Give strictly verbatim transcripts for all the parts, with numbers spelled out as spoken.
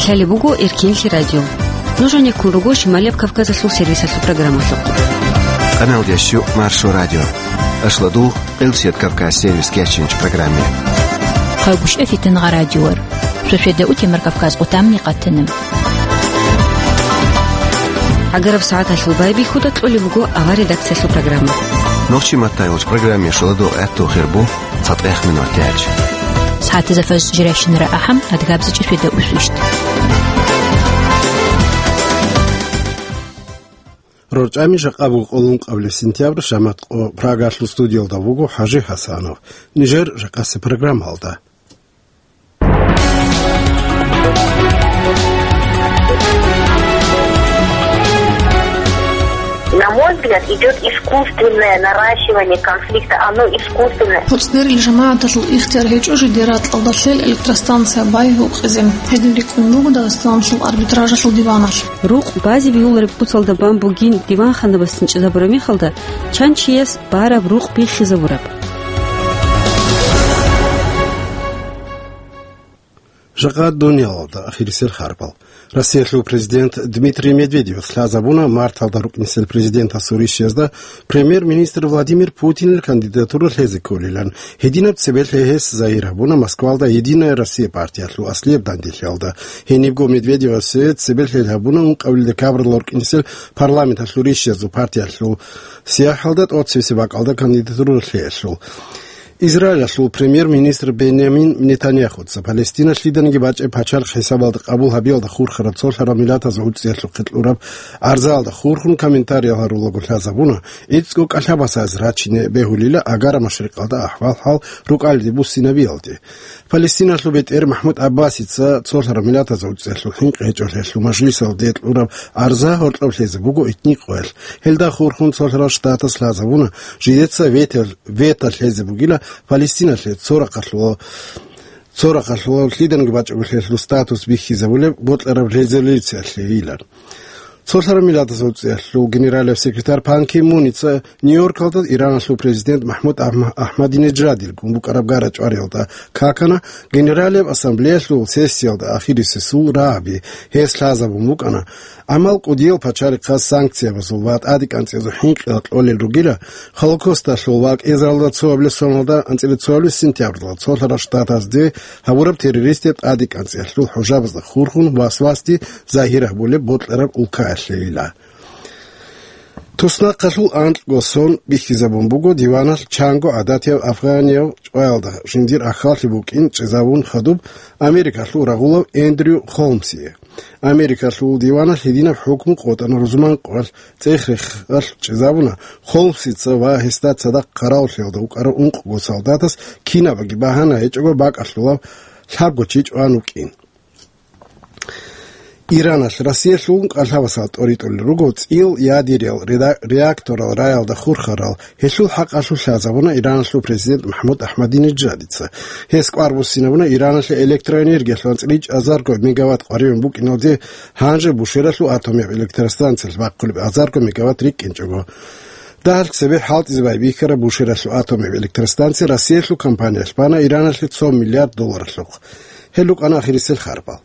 Лъалеб буго Эркинлъи радио. Нуж гьанеккун руго Шималияб Кавказалъул сервисалъул программалъухъ. Къаналдеш юкъ Маршо радио. Ашладул, Къилсият Кавказ сервис кечинч программе. Хъагушев Фитнагъа радиор. Шошеда утемар Кавказ къутамни къатана. ГӀагараб сагӀаталъул байбихьуда кьолеб буго авар редакциялъул программа. Нохчи маттайолч программе шуладо гӀатту хирбу. ЦатӀех минут яч. СагӀатазда фаз жирайщинара ахӀам, адгабзичӀи феда усвищт. РорчӀами жакъа буго къоло ункъабилеб сентябрь, шамат къо Прагалъул студиялда вуго ХӀажи ХӀасанов. Нижер жакъасе программалда. На мой взгляд, идёт искусственное наращивание конфликта. Оно искусственное. ХӀуцӀдерил жамагӀаталъул ихтияр гьечӀо жидер ракьалда лъел электростанция бай гьукъизе. Гьедин рикӀкӀун буго Дагъистаналъул арбитражалъул диваналъ. Рукъ базе бегьулареб куцалда бан бугин диванханабасцин чӀезабураб мехалда, чан чияс бараб рукъ биххизабураб. Жакъа дуниялалда ахирисел харбал. Россиялъул президент Дмитрий Медведевас лъазабуна марталда рукӀинсел президентасул ришиязда премьер-министр Владимир Путинил кандидатура лъезе кколилан. Гьединаб цебе лъе гьес загьир гьабуна Москвалда «Единая Россия» партиялъул аслияб данделъиялда. Гьенибго Медведевасе цебе лъел гьабуна ункъабилеб декабралда рукӀинсел парламенталъул ришиязул партиялъул сияхӀалда тӀоцебесеб бакӀалда кандидатура лъеялъул. Израилалъул премьер-министр Бенямин Нетаньяхуца Палестиналъ лъиданиги бачӀеб пачалихъ хӀисабалда къабул гьабиялда хурхараб цолъарал миллатазул гӀуцӀиялъухъе кьураб гӀарзаялда хурхун комментариял гьарулаго лъазабуна, гӀицӀго кӀалъа басазе рачине бегьулила Агара машрикъалда ахӀвал-хӀал рукӀалиде буссинабиялде. Палестиналъул бетӀер МахӀмуд ГӀаббасица цолъарал миллатазул гӀуцӀиялъул хӀинкъи гьечӀолъиялъул мажлисалде кьураб гӀарза гьоркьоб лъезе буго этникъоялъ. Гьелда хурхун цолъарал штатас лъазабуна, жидеца вето, вето лъезе бугила Палестиналъе цо рахъалъула, цо рахъалъула лъиданиги бачӀунеб лъелъул статус бихьизабулеб бокьараб резолюциялъейилан. Цолъарал миллатазул гӀуцӀиялъул генералияб секретарь Пан Ки Муница Нью-Йоркалда Ираналъул президент МахӀмуд Ахма-, Ахмадинежадил гун букӀараб гара-чӀвариялда какана, Генералияб ассамблеялъул сессиялда ахирисесул рагӀаби гьес лъазабун букӀана, гӀамал кӀудиял пачалихъаз санкциябазул ва тӀаде кӀанцӀиязул хӀинкъиялъ кьолел ругила, Холокосталъул ва кӀиазаралда цоабилеб соналда анцӀила цоабилеб сентябралда цолъарал штатазде гьабураб террористияб тӀаде кӀанцӀиялъул хӀужабазда хурхун васвасде загьир гьабулеб бокьараб улкаялъейила. Туснахъалъул анкьго сон бихьизабун буго диваналъ чанго гӀадатияв афганияв чӀваялда жиндир ахьаллъи букӀин чӀезавун хадуб Америкалъул рагъулав Эндрю Холмсие. Америкалъул диваналъ гьединаб хӀукму къотӀана рузман къоялъ цӀех-рехалъ чӀезабуна Холмсица ва гьесда цадахъ хъаравуллъиялда вукӀарав ункъго солдатас кинабаги багьана гьечӀого бакӀалъулав лъабго чи чӀван вукӀин. Ираналъ Россиялъул кӀалъабасал тӀоритӀулел руго цӀиял ядериял реда-, реакторал раялда хурхарал, гьелъул хӀакъалъулъ лъазабуна Ираналъул президент МахӀмуд Ахмадинежадица. Гьес кӀвар буссинабуна Ираналъе электроэнергиялъул анцӀила чӀезарго мегаватт къваригӀун букӀиналде, гьанже Бушералъул атомияб электростанциялъ бахъулеб азарго мегаватт рикӀкӀинчӀого. Дагьалъ цебе хӀалтӀизе байбихьараб Бушералъул атомияб электростанция Россиялъул компаниялъ бана Ираналъе цо миллиард долларалъухъ. Гьел рукӀана ахирисел харбал.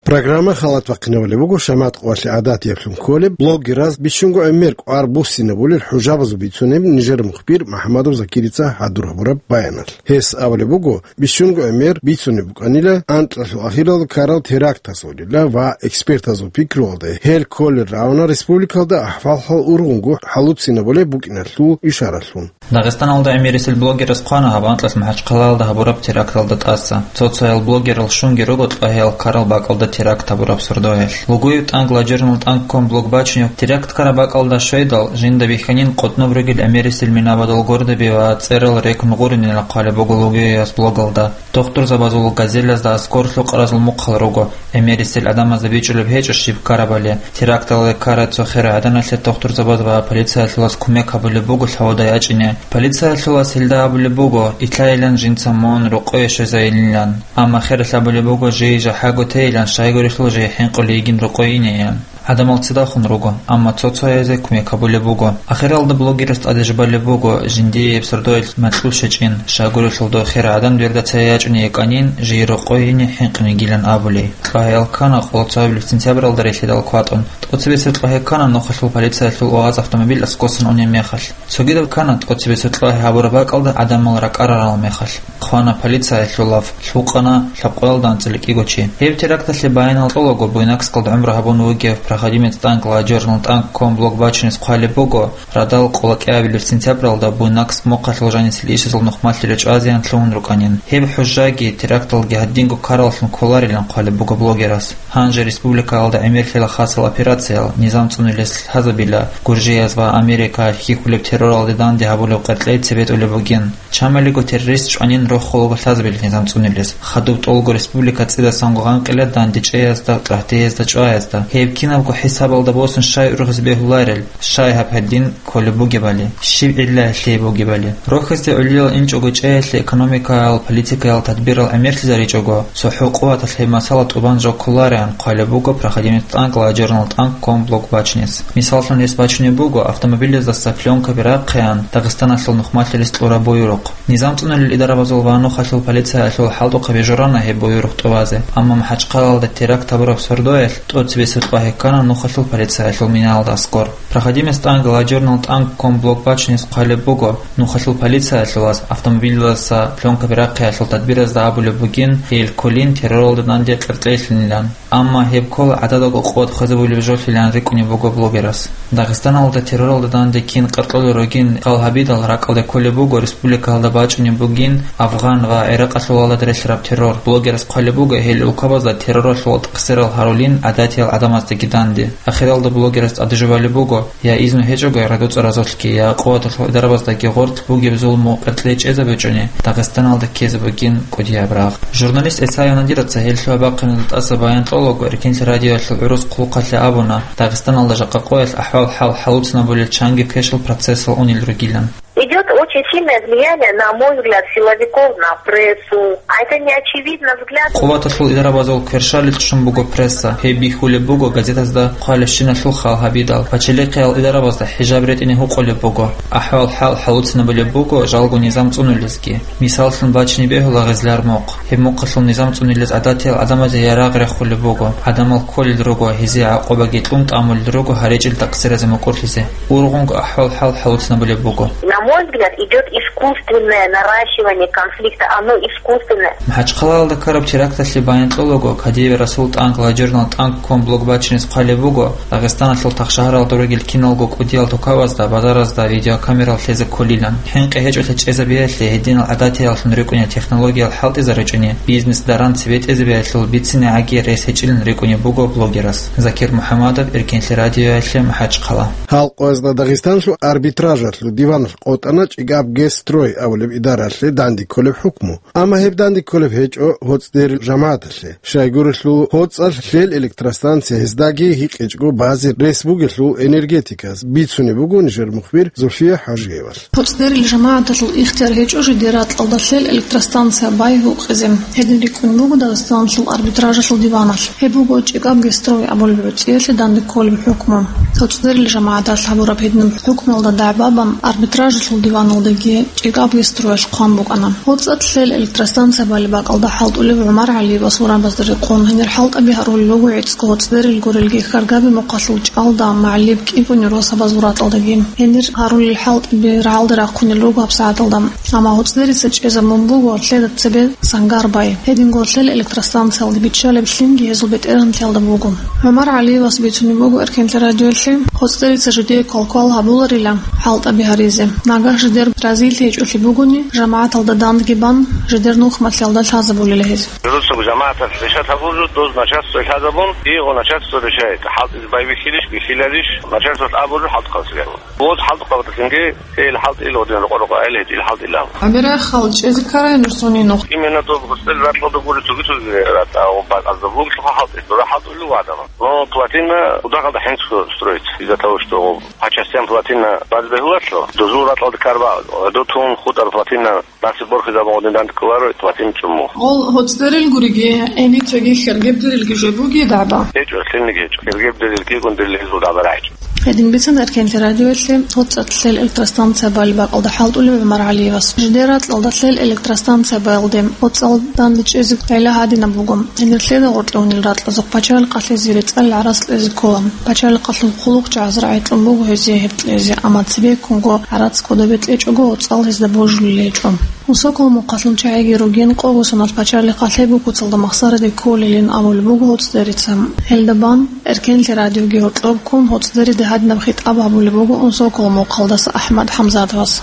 Программа халат вахъинавулеб буго, шамат къоялъе гӀадатияб лъун кколеб, блогераз бищунго гӀемер кӀвар буссинабулел хӀужабазул бицунеб нижер мухбир МахӀамадов Закирица хӀадур гьабураб баяналъ. Гьес абулеб буго, бищунго гӀемер бицунеб букӀанила анкьалъул ахиралда ккарал терактазулила ва экспертазул пикруялда гьел кколел равна республикалда ахӀвал-хӀал ургъунго хӀалуцинабулеб букӀиналъул ишаралъун. Дагъистаналда гӀемерисел блогераз хъвана гьаб анкьалъ МахӀачхъалаялда гьабураб теракталда тӀаса. Цо-цоял блогерал щунги руго кьвагьиял ккарал бакӀалда теракт гьабураб сордоялъ. Лугуев тӀанг, лажернул тӀанг ком блог бачунев теракт ккараб бакӀалда щведал, жинда бихьанин къотӀноб ругел гӀемерисел минабадул гордаби ва цӀерал рекӀун гъуринилан хъвалеб буго Лугуевас блогалда. Тухтурзабазул газелазда аскӀор лъукъаразул мухъал руго. ГӀемерисел гӀадамазда бичӀчӀулеб гьечӀо щиб ккарабали. Теракталде ккарай цо херай гӀаданалъе тухтурзабаз ва полициялъулаз кумек гьабулеб буго лъавуда ячӀине. Полициялъулаз гьелда абулеб буго, итайилан жинца мун рокъое щвезайилилан. Амма хералъ абулеб буго, жий жахӀаго тейилан, щайгурелъул жий хӀинкъулей йигин рокъое инейилан. ГӀадамал цидахун руго, амма цо-цоязе кумек гьабулеб буго. Ахиралда блогерас тӀаде жубалеб буго, жиндияб сордоялъ макьул щачӀин, щайгурелъул дов хер гӀадан верда цая ячӀуней йикӀанин, жий рокъой гьине хӀинкъине йигилан абулей. Кьвагьиял ккана къоло цоабилеб сентябралда релълъидал кватӀун. ТӀоцебесеб кьвагьи ккана нухалъул полициялъул вагъаз автомобиль аскӀосан унеб мехалъ. Цогидаб ккана тӀоцебесеб кьвагьи гьабураб бакӀалда гӀадамал ракӀарарал мехалъ. Хъвана полициялъул лаф, лъукъана лъабкъоялда анцӀила кӀиго чи. Гьеб теракталъе баянал кьолаго, буйнакскалда гӀумру гьабун вугев проходимец танк ладжорнал танк ком блок бачунес хъвалеб буго, радал къоло кӀиабилеб сентябралда буйнакск мухъалъул жанисел ишазул нухмалъи речӀвазеян лъугьун рукӀанин. Гьеб хӀужжаги теракталги гьадинго ккараллъун кколарилан хъвалеб буго блогерас. Гьанже республикаялда гӀемерлъила хасал операциял, низам цӀунулес лъазабила, гуржияз ва Америкаялъ хьихьулеб терроралде данде гьабулеб къеркьей цебетӀулеб бугин. Чамалиго террорист чӀванин рохулаго лъазабила низам цӀунулес. Хадуб тӀолго республика цӀидасанго гъанкъила дандечӀеязда, тӀагьтеязда, чӀваязда. Гьеб кинабго хӀисабалда босун щай ургъизе бегьуларел, щай гьаб гьадин кколеб бугебали, щиб гӀилла гьелъие бугебали. Рохизде гӀолилал инчӀого чӀеялъе экономикаял, политикаял тадбирал гӀемерлъизаричӀого, цохӀо къуваталъ гьеб масала тӀубан жо кколареан хъвалеб буго проходимец танк ладжорнал танк ком блок бачунес. Мисаллъун, гьес бачунеб буго автомобилездаса пленкаби рахъеян Дагъистаналъул нухмалъи рес кьураб буюрухъ. Низам цӀунулел идарабазул ва нухалъул полициялъул хӀалтӀухъаби журана гьеб буюрухъ тӀубазе, амма МахӀачхъалаялда теракт гьабураб сордоялъ тӀоцебесеб кьвагьи ккана нухалъул полициялъул минаялда аскӀор. Проходимец танк ладжорнал танк ком блок бачунес хъвалеб буго, нухалъул полициялъулаз автомобилаздаса пленкаби рахъиялъул тадбиразда абулеб бугин, гьел кколин терроралда данде къеркьейлъинилан. Амма гьеб ккола гӀададабго къуват хвезабулеб жолъилан рикӀкӀунеб буго блогерас. Дагъистаналда терроралда данде кин къеркьолел ругин хал гьабидал ракӀалде кколеб буго, республикаялда бачӀунеб бугин афгъан ва ГӀиракъалъулалда релълъараб террор. Блогерас хъвалеб буго гьел улкабазда терроралъул тӀахсирал гьарулин гӀадатиял гӀадамаздаги данде. Ахиралда блогерас тӀаде жубалеб буго, я изну гьечӀого радуцӀа разулъги, я къуваталъул идарабаздаги гъорлъ бугеб зулму къеркьей чӀезабичӀони, Дагъистаналда ккезе бугин кӀудияб рагъ. Журналист ГӀисаев Надираца гьелъул гьаб бахъиналда тӀаса баян кьолаго, Эркенлъи радиоялъул гӀурус хъулухъалъе абуна, Дагъистаналда жакъа къоялъ ахӀвал-хӀал хӀалуцинабулел чанги квешлъул процессал унел ругилан. Идёт очень сильное влияние, на мой взгляд, силовиков на прессу. А это неочевидно взгляд. Къуваталъул идарабазул кверщалилъ чӀун буго пресса. Гьеб бихьулеб буго газетазда хъвалебщиналъул хал гьабидал. Пачалихъиял идарабазда хӀижаб ретӀине гьукъулеб буго. АхӀвал-хӀал хӀалуцинабулеб буго жалго низам цӀунулезги. Мисаллъун бачине бегьула Гъизлар мухъ. Гьеб мухъалъул низам цӀунилез гӀадатиял гӀадамазе ярагъ рехулеб буго. ГӀадамал кколел руго, гьезие гӀакъубаги кьун тӀамулел руго гьаричӀел такъсиразе мукӀурлъизе. Ургъунго ахӀвал-хӀал хӀалуцинабулеб буго. На мой взгляд, идёт искусственное наращивание конфликта. Оно искусственное. МахӀачхъалаялда ккараб теракталъе баян кьолаго, Кадиев Расул танк ладжорнал танк ком блок бачинес хъвалеб буго, Дагъистаналъул тахшагьаралда ругел киналго кӀудиял тукабазда, базаразда видеокамерал лъезе кколилан. ХӀинкъи гьечӀолъи чӀезабиялъе гьединал гӀадатияллъун рикӀкӀунел технологиял хӀалтӀизаричӀони, бизнес даран цебетӀезабиялъул бицинегӀаги рес гьечӀилан рикӀкӀунеб буго блогерас. Закир МухӀамадов, Эркенлъи радиоялъе, МахӀачхъала. Гьал къоязда Дагъистанлъул арбитражалъул диваналъ къотӀана ЧӀикӀаб Гесстрой абулеб идаралъе данде кколеб хӀукму. Амма гьеб данде кколеб гьечӀо ГьоцӀдерил жамагӀаталъе. Щайгурелъул, ГьоцӀалъ лъел электростанция гьездаги гьикъичӀго базе рес бугелъул энергетикас, бицунеб буго нижер мухбир Зульфия ХӀажиевалъ. ГьоцӀдерил жамагӀаталъул ихтияр гьечӀо жидер ракьалда лъел электростанция бай гьукъизе. Гьедин рикӀкӀун буго Дагъистаналъул арбитражалъул диваналъ. Гьеб буго ЧӀикӀаб Гесстрой абулеб гӀурцӀиялъе данде кколеб хӀукму. ГьоцӀдерил жамагӀаталъ гьабураб гьединаб хӀукмуялда дагӀбабан арбитражалъул диваналдаги ЧӀикӀаб Гесстроялъ хъван букӀана. ГьоцӀалъ лъел электростанция балеб бакӀалда хӀалтӀулев ГӀумар ГӀалиевас урабазда рекъон, гьенир хӀалтӀаби гьарулел руго гӀицӀго ГьоцӀдерил гурелги Хьаргаби мухъалъул чӀалда, МагӀалиб, КӀикӀуни росабазул ракьалдаги. Гьенир гьарулел хӀалтӀаби рагӀалде рахъунел руго гьабсагӀаталда. Амма ГьоцӀдерица чӀезабун буго лъеда цебе сангар бай. Гьединго лъел электростанциялда биччалеб лъимги гьезул бетӀергьанлъиялда буго. ГӀумар ГӀалиевас бицунеб буго Эркенлъи радиоялъе, ГьоцӀдерица жидее квалквал гьабуларила хӀалтӀаби гьаризе. Нагагь жидер разилъи гьечӀолъи бугони, жамагӀаталда дандги бан, жидер нухмалъиялда лъазабулила гьез. Журусаб жамагӀаталъ решат гьабулел, доз начальство лъазабун, и гъо начальство решает. ХӀалтӀизе бай бихьилищ, бихьиларищ, начальствалъ абулел хӀалтӀухъалцӀиги абун. Вот хӀалтӀухъабаталъинги, ил хӀалтӀи ил гъодин рокъо-рокъо айл гьечӀил хӀалтӀи ил абун. ГӀемерай хал чӀезе ккарай нур цони нух. Именно доб гьоцӀдерил ракьалда гури цоги-цоги ратӀа, бакӀазда бугелъулха хӀалтӀи, дура хӀалтӀулев вагӀда. Но плотина удахалда хӀинцу строй. Из-за того, что по частям плотина баз бегьуларо, дозул ракьалда карба, гӀодов тун хутӀар плотина насиб борхизабун гьедин дандкӀоларо, плотина чӀуму. Гъол гьоцӀдерил гуриги, гьениб цоги хергебдерилги жо буги дагӀба? ГьечӀо, лъилниги гьечӀо. Хергебдерилги гундерил гьезул дагӀба рагӀичӀо. Гьедин бицана Эркенлъи радиоялъе гьоцӀцӀалъ лъел электростанция балеб бакӀалда хӀалтӀулев ГӀумар ГӀалиевас. Жидер ракьалда лъел электростанция балде гьоцӀцӀал данде чӀезе гӀелаб гьадинаб буго. Гьенир лъеда гъоркье унел ракьазухъ пачалихъалъе зи рецӀалил гӀарац кьезе ккола. Пачалихъалъул хъулухъчагӀаз рагӀи кьун буго гьезие гьеб кьезе, амма цебеккунго гӀарац кодобе кьечӀого гьоцӀцӀал гьезда божулел гьечӀо. Унсокол мухъалъул чагӀиги ругин, къого соналъ пачалихъалъе Букуцалда махсараде кколилин абулеб буго гьоцӀдерица. Гьелда бан Эркенлъи радиоги гьоркьоб ккун, гьоцӀдериде гьадинаб хитӀаб гьабулеб буго Унсокол мухъалдаса АхӀмад ХӀамзатовас.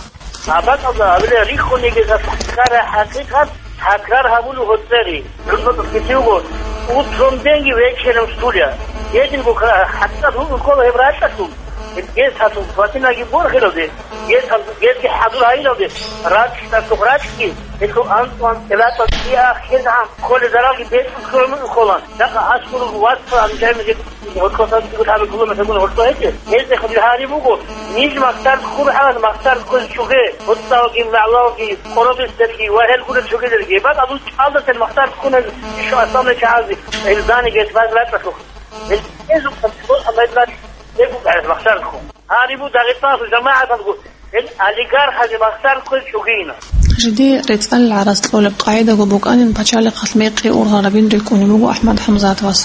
Абакалда абиле риххунеги такрар, хӀакъикъат такрар гьабулев гьоцӀери. Рухсат кколеб буго, утром деньги, вечером стулья. Гьединго ка-, хӀакъикъат гьукъун ккола гьеб ракьалъул. Гьеб гьес гьалъул плотинаги борхилалде, гьес гьалъул гьезги хӀадур гьайилалде, ракьалъухъ ракьги, гьелъул анцӀ-анцӀила тӀатӀиахъ гьез гьан кколел заралги бецӀун кколан. Жакъа аскӀор вацал анжамизе гьоркьоса цӀикӀкӀун гьабе километргун гьоркьо гьечӀеб. Гьезде хадур гьари буго, ниж махтар ккур гьалан махтар кквез чуге, гьоцӀалги, магӀлалги, къоробиздерги ва гьел гурел чугедерги. Бакъ абун чӀалдасел махтар ккунел ишо асламлъи чагӀазе, гьел зани гьес баз ракьалъухъ. Гьел гьезухъ гьаб гьеб ракь, гьеб букӀарас махтар ккун. Гьари бу Дагъистаналъул жамагӀаталго, гьел олигархазе махтар кквез чугейина. Жиде рецӀалил гӀарац кьолеб къагӀидаго букӀанин пачалихъалъ мекъи ургъарабин рикӀкӀунеб буго АхӀмад ХӀамзатовас.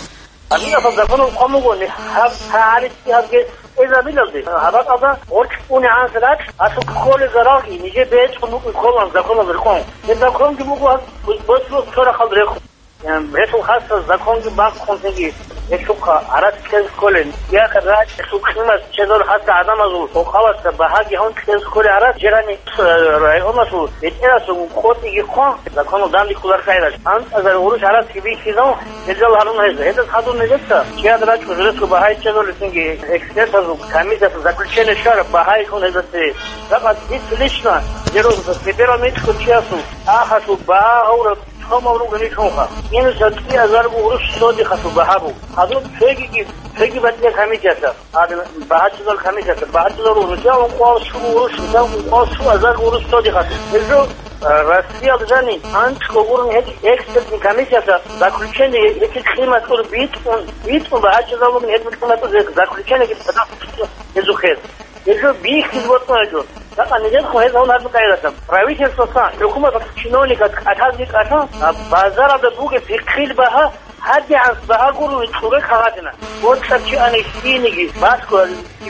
Аминасул законалъ хъван буго, гьаб гьагӀалицӀги гьабги эзабилалде, гьаб бакӀалда гъоркь унегӀанас ракь, гьалъухъ кколел заралги нижее бецӀун букӀин кколан законалда рекъон. Гьеб законги буго гьаб бо-, боцӀлъухъ цо рахъалда рехун. Гьелъул хасаб законги бахъун цинги гьелъухъа гӀарац кьезе кколел. Яхъ ракьалъул къимат чезал хасаб гӀадамазул къокъаласа багьаги гьун кьезе кколел гӀарац, жирани, э, районалъул бетӀерасул къотӀиги хъван, законалда данде кколареб къагӀидалъ, анцӀазар гъурущ гӀарац бихьизавун гьелдал гьарун гьезда. Гьелдаса хадуб нилъеца чияда рачӀун журесго багьай чезал цинги экспертазул комиссиясул заключение щвараб багьай хун гьезда цеве. Жакъа дица лично, гьеросица, первомитского чиясул ахалъул багьа гьавураб Цо мавругъ гьечӀунха. Минус гьаб кӀиазарго гъурущ содихъалъул багьа буго. Гьазул цогиги, цоги батӀияб комиссиялъа, гьаб багьачӀезал комиссиялъа, багьачӀезал гъурущ, жаваб ункъоялда щуго гъурущ, жаваб ункъоялда щуазарго гъурущ содихъалъул. Гьеб жо, а, Россиялда жани анцӀго гъурун гьечӀеб экспертный комиссиялъа заключение гьечӀеб къиматур битӀун, битӀун багьачӀезал бугин гьеб къиматур заключениеги гьезухъе. Гьеб жо бихьизе бокьун гьечӀо. Жакъа нижехъе гьез гьавун гьабун къайрасан. Правительствосан, хӀукуматалъ чиновниказ кӀалъазе кӀалъан, а, базаралда бугеб пихъил багьа, гьадигӀанас багьа гурони цӀуре кагъатина. БорчӀарав чи ани лъиениги, басго,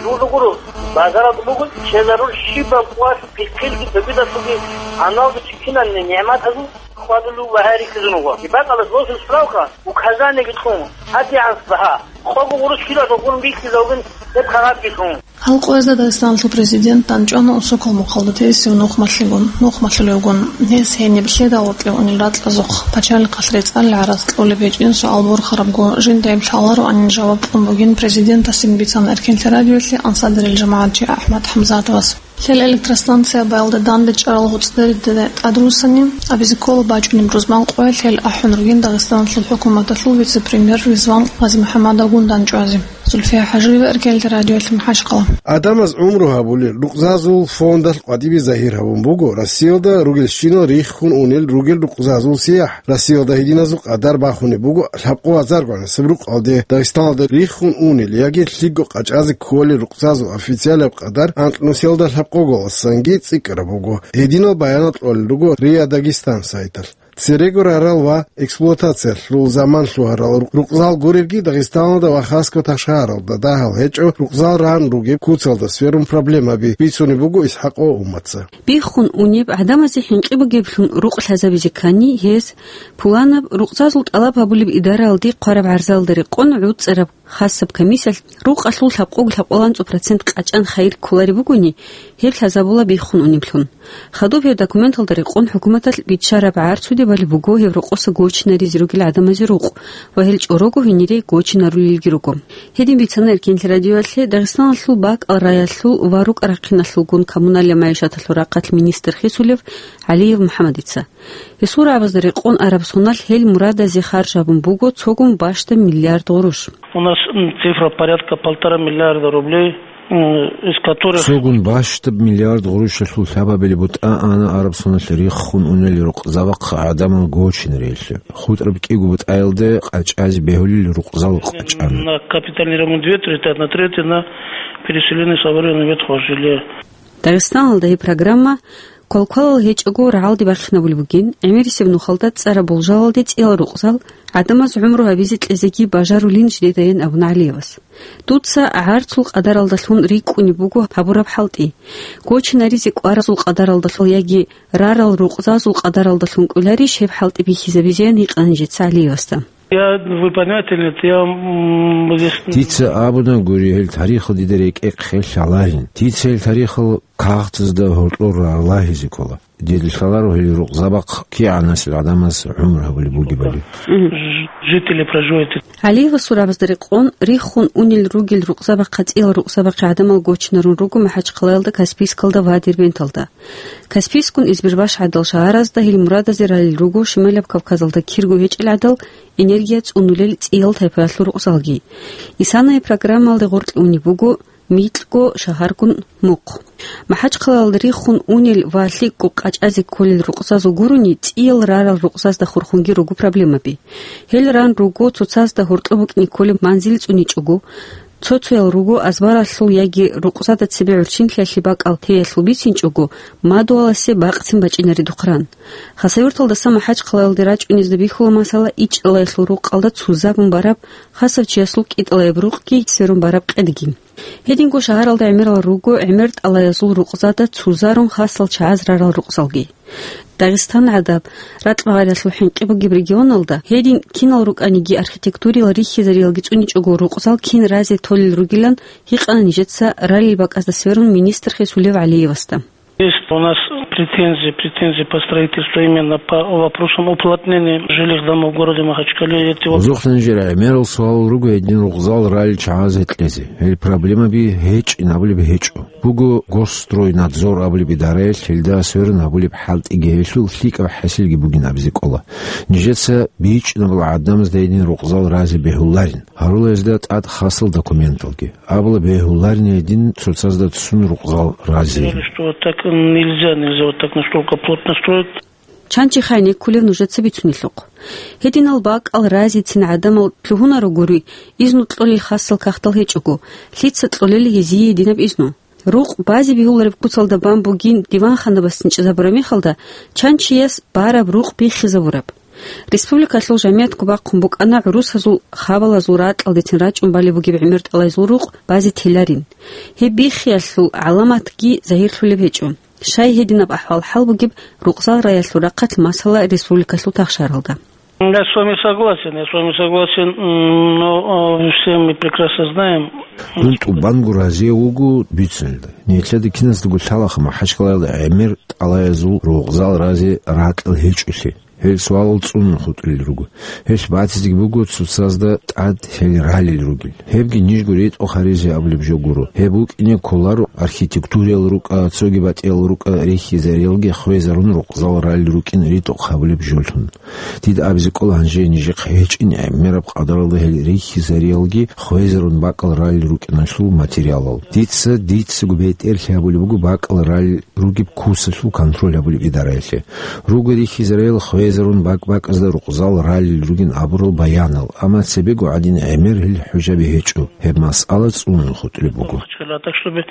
журду гуро, базаралда буго чезарул щибаб къоялъ пихъилги цогидалъулги, гьаналги чи кинабниги нигӀматазул хьвадулев ва гьайрихьизун вуго. Бакъалас босун справка, указаниеги кьун, гьадигӀанас багьа, къого гъурущ килоялъул гурони бихьизавугин гьеб кагъатги лъун. Гьал къоязда Дагъистаналъул президент дандчӀвана Унсокол мухъалда тесев нух малъигун, нух малъулевгун. Гьес гьениб лъеда гъоркье унел ракьазухъ пачалихъалъ рецӀалил гӀарац кьолеб гьечӀин суал борхарабго, жинда гьеб лъалароанин жаваб кьун бугин президентасин бицана Эркенлъи радиоялъе ансардарил жамагӀатчи АхӀмад ХӀамзатовас. Лъел электростанция баялда данде чӀарал гьоцӀдериде тӀадруссани, абизе ккола бачӀунеб рузман къоялъ гьел ахӀун ругин Дагъистаналъул хӀукуматалъул вице-премьер Ризван Гъазимухьаммадовгун дандчӀвазе. Зульфия ХӀажиева, Эркенлъи радиоялъе, МахӀачкъала. Гьадамаз гӀумру гьабулел рукъзазул фондалъ къватӀибе загьир гьабун буго Россиялда ругелщинал риххун унел ругел рукъзазул сияхӀ. Россиялда гьединазул къадар бахунеб буго лъабкъо азарго гӀанасеб рукъалде. Дагъистаналда риххун унел яги лъикӀго къачӀазе кколел рукъзазул официалаб къадар анкьнусиялда лъабкъоголасанги цӀикӀкӀараб буго. Гьединал баянал кьолел руго РИА Дагестан сайталъ. Церего рарал ва эксплуатациялъул заман лъугьарал рукъзал гуребги Дагъистаналда ва Хасго ташгӀаралда дагьал гьечӀо рукъзал ран ругеб куцалда сверун проблемаби бицунеб буго ИсхӀакъ ва Умматца. Биххун унеб гӀадамазе хӀинкъи бугеблъун рукъ лъазабизе ккани, гьез пуланаб рукъзазул тӀалаб гьабулеб идараялде хъвараб гӀарзалда рекъон гӀуцӀараб хасаб комиссиялъ рукъалъул лъабкъого лъабкъоялда анцӀго процент къачӀан хайир кколареб бугони, гьеб лъазабула биххун унеблъун. Хадуб гьеб документалда рекъон хӀукуматалъ биччараб гӀарцуде балеб буго гьеб рокъоса гочинаризе ругел гӀадамазе рукъ ва гьел чӀорого гьенире гочинарулелги руго. Гьедин бицана Эркенлъи радиоялъе Дагъистаналъул бакӀал раялъул ва рукӀа-рахъиналъулгун коммуналия-майишаталъул рахъалъ министр хисулев ГӀалиев МухӀаммадица. Гьесул рагӀабазда рекъон араб соналъ гьел мурадазе харж гьабун буго цогун бащдаб миллиард гъурущ. У нас, м, цифра порядка полтора миллиарда рублей, м, из которых... Цогун бащдаб миллиард гъурущалъул лъабабилеб бутӀа ана араб соналъ риххун унел рукъзабахъ гӀадамал гочинарелъе. ХутӀраб кӀиго бутӀаялда къачӀазе бегьулел рукъзал къачӀана. На капитальный ремонт две трети, одна треть на переселение с аварийного ветхого жилья. Дагъистаналда гьеб программа квалквалал гьечӀого рагӀалде бахинабулеб бугин, гӀемерисеб нухалда цӀараб болжалалде цӀиял рукъзал гӀадамаз гӀумру гьабизе кьезеги бажарулин жидедайин абуна ГӀалиевас. Дуца гӀарцул къадаралдалъун рикӀкӀунеб буго гьабураб хӀалтӀи. Гочинаризе кӀваразул къадаралдалъун яги рарал рукъзазул къадаралдалъун кӀоларищ гьеб хӀалтӀи бихьизабизеян гьикъана нижеца ГӀалиевасда. Я, вы понимаете, нет, я, м, здесь... Дица абуна гури, гьел тарихал дида рекӀехъе лъаларин. Дица гьел тарихал кагътазда гьоркьор рарлагьизе ккола. Дида лъаларо гьел рукъзабахъ кигӀанасел гӀадамаз гӀумру гьабулеб бугебали. Мгм. Ж-, жители проживают. ГӀалиевасул рагӀабазда рекъон, риххун унел ругел рукъзабахъа цӀиял рукъзабахъе гӀадамал гочинарун руго МахӀачхъалаялда Каспийскалда ва Дербенталда. Каспийскун Избербаш гӀадал шагьаразда гьел мурадазе ралел руго Шималаб Кавказалда кирго гьечӀел гӀадал энергия цӀунулел цӀиял тайпаялъул рукъзалги. Исанаяб программалде гъоркье унеб буго микьго шагьаргун мухъ. МахӀачхъалаялда риххун унел ва лъикӀго къачӀазе кколел рукъзазул гурони цӀиял рарал рукъзазда хурхунги руго проблемаби. Гьел ран руго цоцазда гьоркьоб букӀине кколеб манзил цӀуничӀого, цо-цоял руго азбаралъул яги рукъзада цебе гӀурччинлъиялъе бакӀал теялъул бицинчӀого, мадугьаласе бакъцин бачӀинаредухъ ран. Хасавюрталдаса МахӀачхъалаялде рачӀунезда бихьула масала ичӀалаялъул рукъалда цузабун бараб, хасав чиясул кӀитӀалаяб рукъги сверун бараб къедги. Гьединго шагьаралда гӀемерал руго гӀемер тӀалаязул рукъзада цузарун хасал чагӀаз рарал рукъзалги. Дагъистан гӀадаб, ракь-магъаралъул хӀинкъи бугеб регионалда, гьедин кинал рукӀаниги архитектуриял рихьизариялги цӀуничӀого рукъзал кин разе толел ругилан гьикъана нижеца ралил бакӀазда сверун министр Хисулев ГӀалиевасда. Есть у нас претензии, претензии по строительству именно по вопросам уплотнения жилых домов в городе Махачкале. Эти вот... Бузухъ нижер гӀемерал суал руго гьедин рукъзал ралел чагӀаз гьекьезе. Гьел проблемаби гьечӀин абулеб гьечӀо. Буго Госстройнадзор абулеб идараялъ гьелда сверун гьабулеб хӀалтӀиги гьелъул лъикӀаб хӀасилги бугин абизе кӀола. Нижеца бичӀчӀинабал гӀадамазда гьедин рукъзал разе бегьуларин. Гьарула гьезда тӀад хасал документалги. Абула бегьуларин гьедин цоцазда цун рукъзал разе. Сказали, что вот так нельзя, нельзя вот так настолько плотно строить. Чан чи хай неккулев нужеца бицунелъухъ. Гьединал бакӀал разицин гӀадамал лъугьунаро гури, изну кьолел хасал кагътал гьечӀого, лъица кьолел гьезие гьединаб изну? Рукъ базе бегьулареб куцалда бан бугин диванханабасцин чӀезабураб мехалда, чан чияс бараб рукъ биххизабураб. Республикалъул жамиятго бахъун букӀана гӀурусазул хабалазул ракьалдецин рачӀун балеб бугеб гӀемер тӀалайзул рукъ базе теларин. Гьеб биххиялъул гӀаламатги загьирлъулеб гьечӀо. Щай гьединаб ахӀвал-хӀал бугеб рукъзал раялъул рахъалъ масала республикалъул тахшаралда? Я с вами согласен, я с вами согласен, м, но, а, все мы прекрасно знаем. Дун тӀубанго разие вуго бицунелда. Нилъеда киназдаго лъалаха МахӀачкъалаялда гӀемер тӀалаязул рукъзал разе ракьал гьечӀолъи. Гьел суалал цӀунун хутӀулел руго. Гьелъ батизеги буго цоцазда тӀад гьел ралел ругел. Гьебги нижго ритӀухъ гьаризе абулеб жо гуро. Гьеб букӀине кколаро архитектуриял рукӀа, цоги батӀиял рукӀа рихьизариялги хвезарун рукъзал ралел рукӀин ритӀухъ гьабулеб жолъун. Дида абизе кӀола гьанже нижехъ гьечӀин гӀемераб къадаралда гьел рихьизариялги хвезарун бакӀал ралел рукӀиналъул материалал. Дица, дицаго бетӀерлъи гьабулеб буго бакӀал ралел ругеб кусалъул контроль гьабулеб идараялъе. Руго рихьизарел хвезарун бакӀ-бакӀазда рукъзал ралел ругин абурал баянал, амма цебего гӀадин гӀемер гьел хӀужаби гьечӀо, гьеб масъала цӀунун хутӀулеб буго. Так чтобы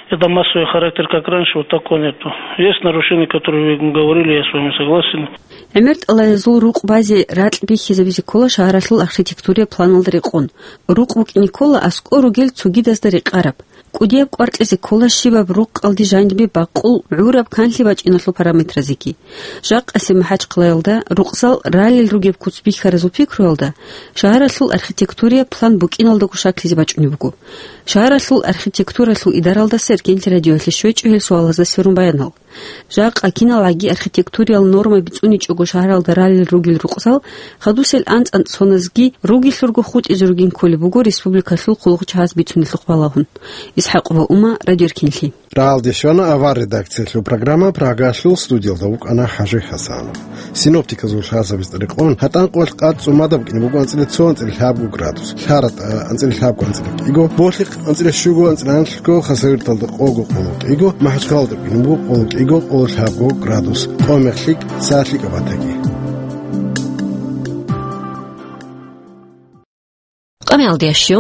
это массовый характер, как раньше, вот такого нету. Есть нарушения, которые вы говорили, я с вами согласен. ГӀемер тӀалаязул рукъ базе ракь бихьизабизе ккола шагьаралъул архитектурия планалда рекъон. Рукъ букӀине ккола аскӀор ругел цогидазда рекъараб. КӀудияб кӀвар кьезе ккола щибаб рукъалде жанибе бакъул гӀураб канлъи бачӀиналъул параметразеги. Жакъасеб МахӀачхъалаялда рукъзал ралел ругеб куц бихьаразул пикруялда шагьаралъул архитектурия план букӀиналдаго шаклъизе бачӀунеб буго. Шагьаралъул архитектуралъул идаралдаса Эркенлъи радиоялъе щвечӀо гьел суалазда сверун баянал. Жакъа киналгӀаги архитектуриял нормаби цӀуничӀого шагьаралда ралел ругел рукъзал, хадусел анцӀ-анцӀ соназги ругелъурго хутӀизе ругин кколеб буго республикалъул хъулухъчагьаз бицунелъухъ балагьун. ИсхӀакъ ва Ума, радиоркинлъи. Рагьалде щвана авар редакциялъул программа, Прагалъул студиялда вукӀана ХӀажи ХӀасанов. Синоптиказул лъазабиз тӀадекъон, гьатӀан къоялъ къад цӀумадаб букӀине буго анцӀила цо, анцӀила лъабго градус, ЛъаратӀа анцӀила лъабго, анцӀила кӀиго, Болъихъ анцӀила щуго, анцӀила анлъго, Хасавюрталда къого, къоло кӀиго, МахӀачхъалада букӀине буго къоло кӀиго, къоло лъабго градус, къо мех лъикӀ, са лъикӀаб батаги. Къамиялдиящу,